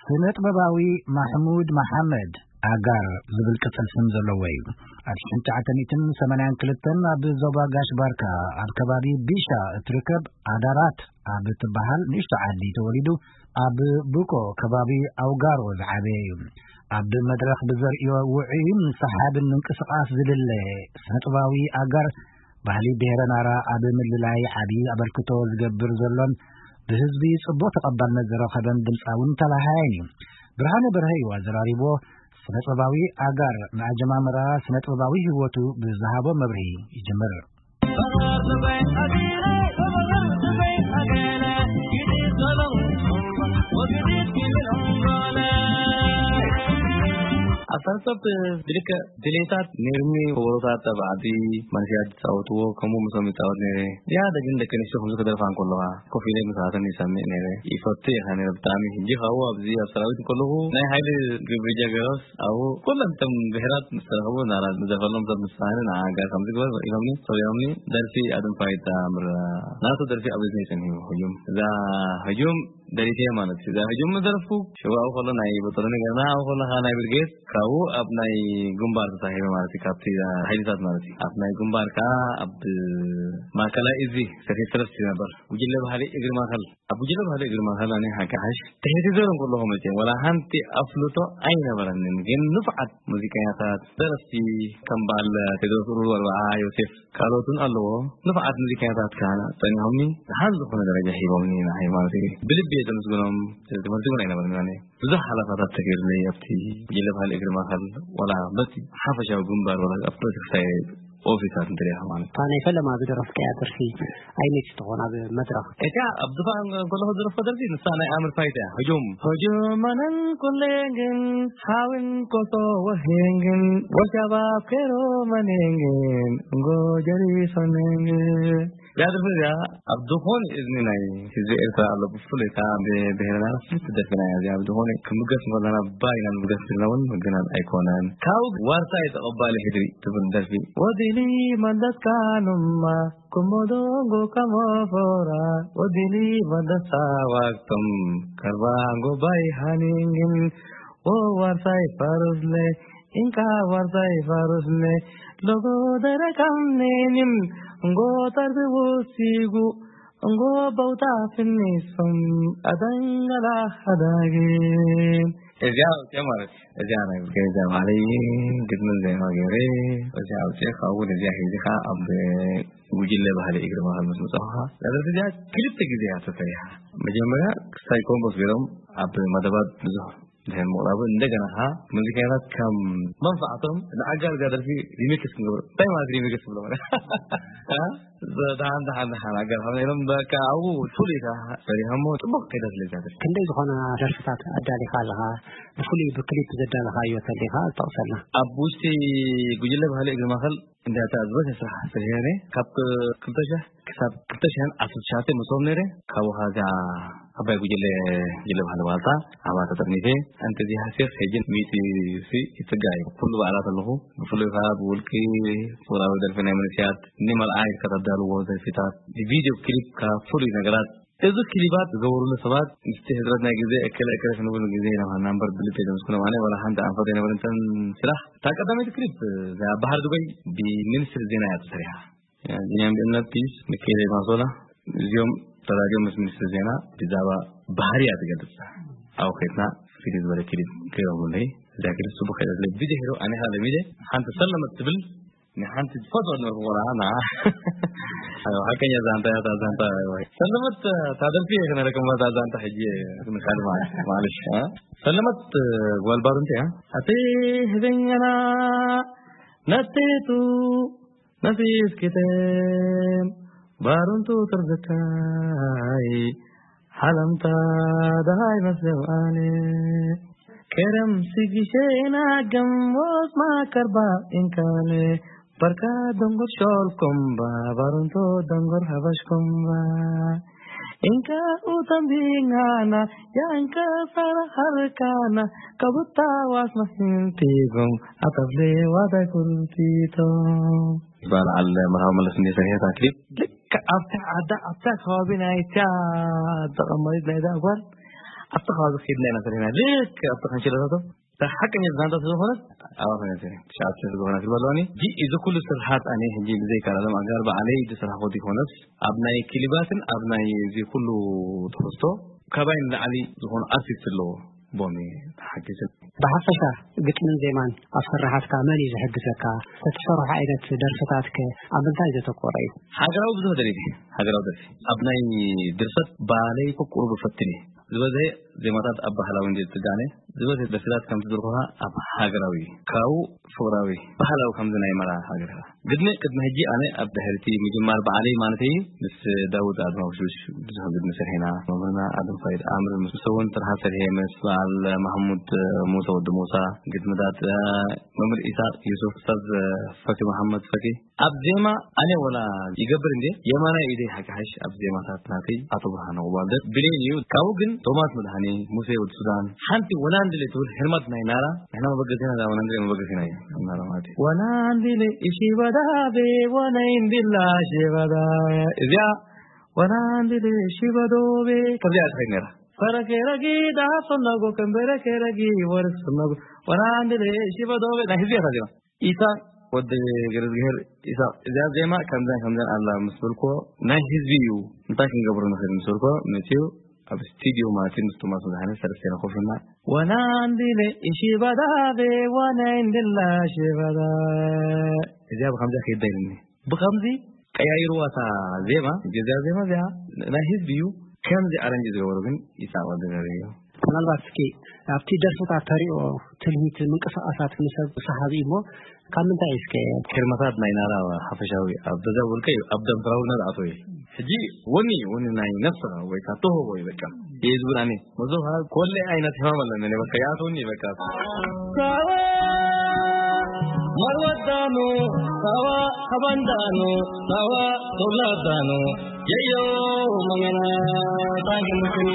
ስነ ጥበባዊ ማሕሙድ መሓመድ ኣጋር ዝብል ቅጽል ስም ዘለዎ እዩ። ኣብ ሽሕን ትሽዓተ ሚእትን ሰማንያን ክልተን ኣብ ዞባ ጋሽ ባርካ ኣብ ከባቢ ቢሻ እትርከብ ኣዳራት ኣብ እትበሃል ንእሽቶ ዓዲ ተወሊዱ፣ ኣብ ቡቆ ከባቢ ኣውጋሮ ዝዓበየ እዩ። ኣብ መድረኽ ብዘርእዮ ውዑይን ሰሓብን ምንቅስቓስ ዝልለ ስነ ጥበባዊ ኣጋር፣ ባህሊ ብሄረ ናራ ኣብ ምልላይ ዓቢ ኣበርክቶ ዝገብር ዘሎን ብህዝቢ ጽቡቕ ተቐባልነት ዝረኸበን ድምጻውን ተላሃያን እዩ። ብርሃነ በርሀ እዩ ኣዘራሪብዎ። ስነ ጥበባዊ ኣጋር ንኣጀማምራ ስነ ጥበባዊ ህይወቱ ብዝሃቦ መብርሂ ይጅምር። ኣብ ሳንሶፕ ብልክዕ ድሌታት ነይርኒ። ወሮታት ኣብ ዓዲ መንእሰያት ዝጻወትዎ ከምኡ ምሶም ይጻወት ነይረ። ዝያዳ ግን ደቂ ኣንስትዮ ከምዚ ክደርፋ እንከለዋ ኮፍ ኢለ ምስኣተን ይሰምዕ ነይረ። ይፈቱ ኢኻ ነይረ ብጣዕሚ። ሕጂ ካብኡ ኣብዚ ኣብ ሰራዊት እንከለኹ ናይ ሓይሊ ግብሪ ጀገሮስ ኣብኡ ኩሎም እቶም ብሄራት ምስ ተረኸቡ ናራ ንዘፈሎም ሰብ ምስ ሰኣነ ንዓጋ ከምዚ ግበር ኢሎምኒ፣ ሰሪዖምኒ። ደርፊ ኣድንፋይታ ምረ ናቱ ደርፊ ኣብ እዝኒ ጸኒሑ ህጁም። እዛ ህጁም ደሪፈ ማለት እዩ። እዛ ህጁም ምስ ደረፍኩ ሽባኡ ከሎ ናይ በጠሎ ነገርና ኣብኡ ከለኻ ናይ ብርጌድ ካብኡ ኣብ ናይ ግንባር ተሳሂበ ማለት እዩ። ካብቲ ሓይልታት ማለት እዩ። ኣብ ናይ ግንባር ከኣ ኣብ ማእከላይ እዚ ሰፊ ሰለስቲ ነበር። ጉጅለ ባህሊ እግሪ ማእከል። ኣብ ጉጅለ ባህሊ እግሪ ማእከል ኣነ ሓቂ ሓሽ ትሕቲ ዘሮ እንከለኹ መቸም ወላ ሓንቲ ኣፍልጦ ኣይነበረንን። ግን ንፉዓት ሙዚቀኛታት፣ ደረፍቲ ከም በዓል ቴድሮስ ኡሩር፣ ኣርብዓ ዮሴፍ፣ ካልኦትን ኣለዎ። ንፉዓት ሙዚቀኛታት ከኣ ጸኒሖምኒ፣ ደሓን ዝኾነ ደረጃ ሂቦምኒ ንዓይ ማለት እዩ። ብልቢ እየ ዘመስግኖም። ትምህርቲ እውን ኣይነበረን ኣነ። ብዙሕ ሓለፋታት ተገይሩለይ ኣብቲ ጉጅለ ባህሊ እግሪ ማእከል፣ ወላ በቲ ሓፈሻዊ ግንባር፣ ወላ ኣብ ፖለቲክሳዊ ኦፊሳት እንተሪኢኻ ማለት። እታ ናይ ፈለማ ዝደረፍካያ ደርፊ ኣይነይቲ ትኾን ኣብ መድረኽ? እታ ኣብ ድፋዕ እንከለኹ ዝደረፍኩ ደርፊ ንሳ ናይ ኣምር ፋይት እያ። ህጁም። ህጁም መነን ኩሌንግን፣ ሓዊን ኮሶ ወሄንግን፣ ወሻባብ ኬሮ መኔንግን፣ እንጎ ጀሪሶ ኔንግን። እዛ ደርፊ እዚኣ ኣብ ዝኾነ እዝኒ ናይ ህዝቢ ኤርትራ ኣሎ፣ ብፍሉይ ከኣ ብብሄርና ፍልጥቲ ደርፊ ናይ እዚኣ። ኣብ ዝኾነ ክምገስ እንከለና ባይና ንምገስ ዘለና እውን ምግናን ኣይኮነን። ካብኡ ዋርሳይ ተቐባሊ ሕድሪ ትብል ደርፊ። ወዲሊ መለስካ ኑማ፣ ኮሞዶንጎ ከሞፎራ፣ ወዲሊ መለሳ ዋግቶም፣ ከርባንጎ ባይ ሃኒንግን፣ ኦ ዋርሳይ ፋሩስለ፣ ኢንካ ዋርሳይ ፋሩስለ፣ ሎጎ ደረካም ኔኒም፣ እንጎ ጠርቢ ውሲጉ፣ እንጎ በውታ ፍኒሶም፣ ኣደንገላ ሓዳግን። እዚኣ ኣውፅኦ ማለት እዩ። እዚኣ ናይ ብርጌድ እዚኣ ባዕለይ ግጥምን ዜማ ገይረ፣ እዚኣ ኣውፅኦ፣ ካብኡ እውን እዚኣ ሒዚ ከዓ ኣብ ጉጅለ ባህሊ እግሪ ማእከል ምስ መፃኹ ከዓ፣ እዛ ደርፊ እዚኣ ክልተ ግዜ እያ ተሰሪሓ። መጀመርያ ክሳይ ኮምቦስ ገይሮም ኣብ መደባት ብዙሕ ድሕሪ ምቕራቡ፣ እንደገና ከዓ ሙዚቀኛታት ከም መንፋዕቶም ንኣጋር እዛ ደርፊ ሪሚክስ ክንገብሮ። እንታይ ማለት ሪሚክስ ትብሎ? እ? ደሓን፣ ደሓን፣ ደሓን፣ ኣጋር ሓብና ኢሎም በቃ ኣብኡ ፍሉይ ከዓ ሰሪሖሞ። ጽቡቕ ከይዳ ስለ እዛ ደርፊ። ክንደይ ዝኾና ደርፍታት ኣዳሊኻ ኣለኻ? ብፍሉይ ብክሊፕ ዘዳለኻዮ ተሊኻ ጠቕሰልና። ኣብ ውሽጢ ጉጅለ ባህሊ እግሪ ማእከል እንዳ እታ ዝበዝሐ ስራሕ ሰሪሐ ነይረ። ካብ ክልተ ሽሕ ክሳብ ክልተ ሽሕን ዓሰርተ ትሽዓተን መስኦም ነይረ። ካብኡ ከኣ እዛ ዓባይ ጉጅለ፣ ጉጅለ ባህሊ ዋልታ፣ ኣብኣ ተጠርኒፈ። ኣንተ እዚ ሃሴፍ ሕጂ ሚእቲ ሲ ይጽጋዕ እዩ። ኩሉ በዓላት ኣለኹ። ብፍሉይ ከኣ ብውልቂ ቁራዊ ደርፊ ናይ መንእሰያት፣ ንመርዓ ኢልካ ተዳልዎ ደርፊታት፣ ብቪድዮ ክሊፕ ከኣ ፍሉይ ነገራት። እዚ ክሊባት ዝገበሩሉ ሰባት ምስቲ ሕጽረት ናይ ግዜ እከለ እከለ ክንብል ግዜ ኢና ምሃና እምበር ብልቢ ዘመስግኖም ኣነ ዋላ ሓንቲ ኣንፈት ኣይነበረን እተን ስራሕ። እታ ቀዳመይቲ ክሊፕ እዛ ባህር ዱበይ ብሚኒስትሪ ዜና እያ ተሰሪሓ። ቢንያም ገነት፣ ፒስ፣ ሚካኤል ማሶላ፣ እዚኦም ተራዲኦም ምስ ሚኒስትሪ ዜና ብዛዕባ ባህሪ እያ ትገልጽ። ኣብኡ ከይድና ፍልይ ዝበለ ክሊፕ ገይሮምለይ። እዛ ክሊፕ ጽቡቕ ከይደትለይ። ብድሕሪኡ ኣነ ኸኣ ለሚደ ሓንቲ ሰለመት ትብል ንሓንቲ ዝፈትዋ ዝነበርኩ ቆልዓ ንዓ። ኣዮ፣ ሓቀኛ ዛንታ እያ እታ ዛንታ። ኣዮ፣ ሰለመት እታ ደርፊ እየ ክነረክባ እታ ዛንታ ሕጂ ምሻል ማለት፣ ማለሽ፣ እ? ሰለመት ጓል ባሩንቲ እያ። ኣቲ ህበኛና ነቴቱ ነፊስኪተን ባሩንቱ ትርዝካይ ሓለምታ ደሃይ መስለም ኣነ ከረም ስጊሸና ገሞት ማከርባ እንካለ በርካ ደንጎር ሾልኮምባ ባሩንቶ ደንጎር ሀበሽኮምባ እንካ ኡተምቢናና ያንከ ፈረኸርካና ከቡታ ዋስ መስንቲጎም ኣተብሌ ዋዳይ ኩርቲቶም። በዓል መርሃዊ መለስ እንደ ሰሪሐት ክሊፕ ልክዕ ኣብታ ዓዳ ኣብታ ከባቢ ናይታ ተቐማሪት ናይዛ ጓል ኣብቲ ከባቢ ከይድና ኢና ሰሪሕና። ልክዕ ኣብቲ ካንሸሎታቶም እታ ሓቀኛ ዛንታ ስለዝኾነት ኣብኣ ኮይና ሰሪሐ። ትሽዓተ ዝኾና ክልበለዋኒ። እዚ ኩሉ ስርሓት ኣነ ሕጂ ብዘይካ ኣለም ኣጋር ባዕለይ ዝሰራሕኩ ይኮነስ፣ ኣብ ናይ ክሊባትን ኣብ ናይ እዚ ኩሉ ትሕዝቶ ካባይ ንላዕሊ ዝኾኑ ኣርቲስት ኣለዎ። ቦሚ ተሓጊዘ። ብሓፈሻ ግጥምን ዜማን ኣብ ስራሓትካ መን እዩ ዝሕግዘካ? እተትሰርሖ ዓይነት ደርፍታትከ ኣብ ምንታይ ዘተኮረ እዩ? ሃገራዊ ብዙሕ ደርፊ፣ ሃገራዊ ደርፊ። ኣብ ናይ ድርሰት ባለይ ቁሩብ እፈትን እየ። ዝበዝሐ ዜማታት ኣብ ባህላዊ እንድየ ዝጽጋዕ ነየ። ዝበዝሐ ደርፍታት ከም ትዝርግሖ ኣብ ሃገራዊ እዩ። ካብኡ ፍቕራዊ፣ ባህላዊ ከምዚ ናይ መርዓ ሃገርካ። ግድሚ ቅድሚ ሕጂ ኣነ ኣብ ድሕሪቲ ምጅማር በዓለይ ማለት እዩ፣ ምስ ዳውድ ኣድማውሽሽ ብዙሕ ግድሚ ሰሪሕና። መምህርና ኣድም ፋይድ ኣምር ምስ እውን ስራሕ ሰሪሐ፣ ምስ በዓል ማሕሙድ ሙሳ ወዲ ሙሳ ግድምታት፣ እ፣ መምህር ኢሳቅ ዩሱፍ፣ ኡስታዝ ፈኪ መሓመድ ፈኪ። ኣብ ዜማ ኣነ ወላ ይገብር እንዴ፣ የማናይ ኢደይ ሓቂ ሓሽ ኣብ ዜማታት ናተይ ኣቶ ብርሃነ ቁባልደር ብሌን እዩ። ካብኡ ግን ቶማስ መድሃኔ፣ ሙሴ ወዲ ሱዳን፣ ሓንቲ ወናንድሌ ትብል ህርመት ናይ ናራ፣ ንሕና መበገሲና እዛ ወናንድሌ መበገሲና እዩ። ናራ ማለት እዩ። ወናንድሌ እሺ በዳቤ ወነይ እንድላ ሽበዳ፣ እዚኣ ወናንድሌ እሺ በዶቤ ከምዚኣ ትኸይድ ነራ። ፈረኬረጊ ዳሃብ ሰነጎ ከንበረኬረጊ ወርስ ሰነጎ ወናንድሌ እሺ በዶቤ ናይ ህዝቢ እያ እዛ ዜማ። ኢሳቅ ወዲ ገረዝግሄር ኢሳቅ፣ እዚኣ ዜማ ከምዘን ከምዘን ኣላ ምስ በልክዎ፣ ናይ ህዝቢ እዩ፣ እንታይ ክንገብሮ ንኽእል ምስ በልክዎ፣ መጺኡ ኣብ ስቱድዮ ማለት እዩ፣ ምስ ቶማስ መድሃኔ ሰለስቴና ኮፍ ኢልና፣ ወናንዲለ እሺ ባዳቤ ዋናይ እንድላ ሽባዳ፣ እዚኣ ብኸምዚኣ ከይዳ ኢሉኒ። ብኸምዚ ቀያይርዋ እታ ዜማ፣ እዚኣ ዜማ እዚኣ ናይ ህዝቢ እዩ፣ ከምዚ ኣረንጅ ዝገበሩ ግን ኢሳቅ ወዲ ገረዝግሄር እዩ። ምናልባት እስኪ ኣብቲ ደርፍታት ተሪኦ ትልሂት ምንቅስቃሳት ንሰብ ሰሓቢ እዩ እሞ ካብ ምንታይ እስከ? ሄርመታት ናይ ናራ ሓፈሻዊ ኣብ ገዛ ውልቀ እዩ፣ ኣብ ደም ፍራውና ዝኣተወ እዩ። ሕጂ ወኒ፣ ወኒ ናይ ነፍስኻ ወይ ካብ ተውህቦ እዩ በቃ። የዝቡን ኣነ መዞ ኮለ ዓይነት ሕማም ኣለኒ፣ በቃ ይኣትወኒ በቃ። ሳዋ ማርወዳኑ፣ ሳዋ ሃባንዳኑ፣ ሳዋ ቶብላዳኑ፣ የዮ መመና ታግምክኒ።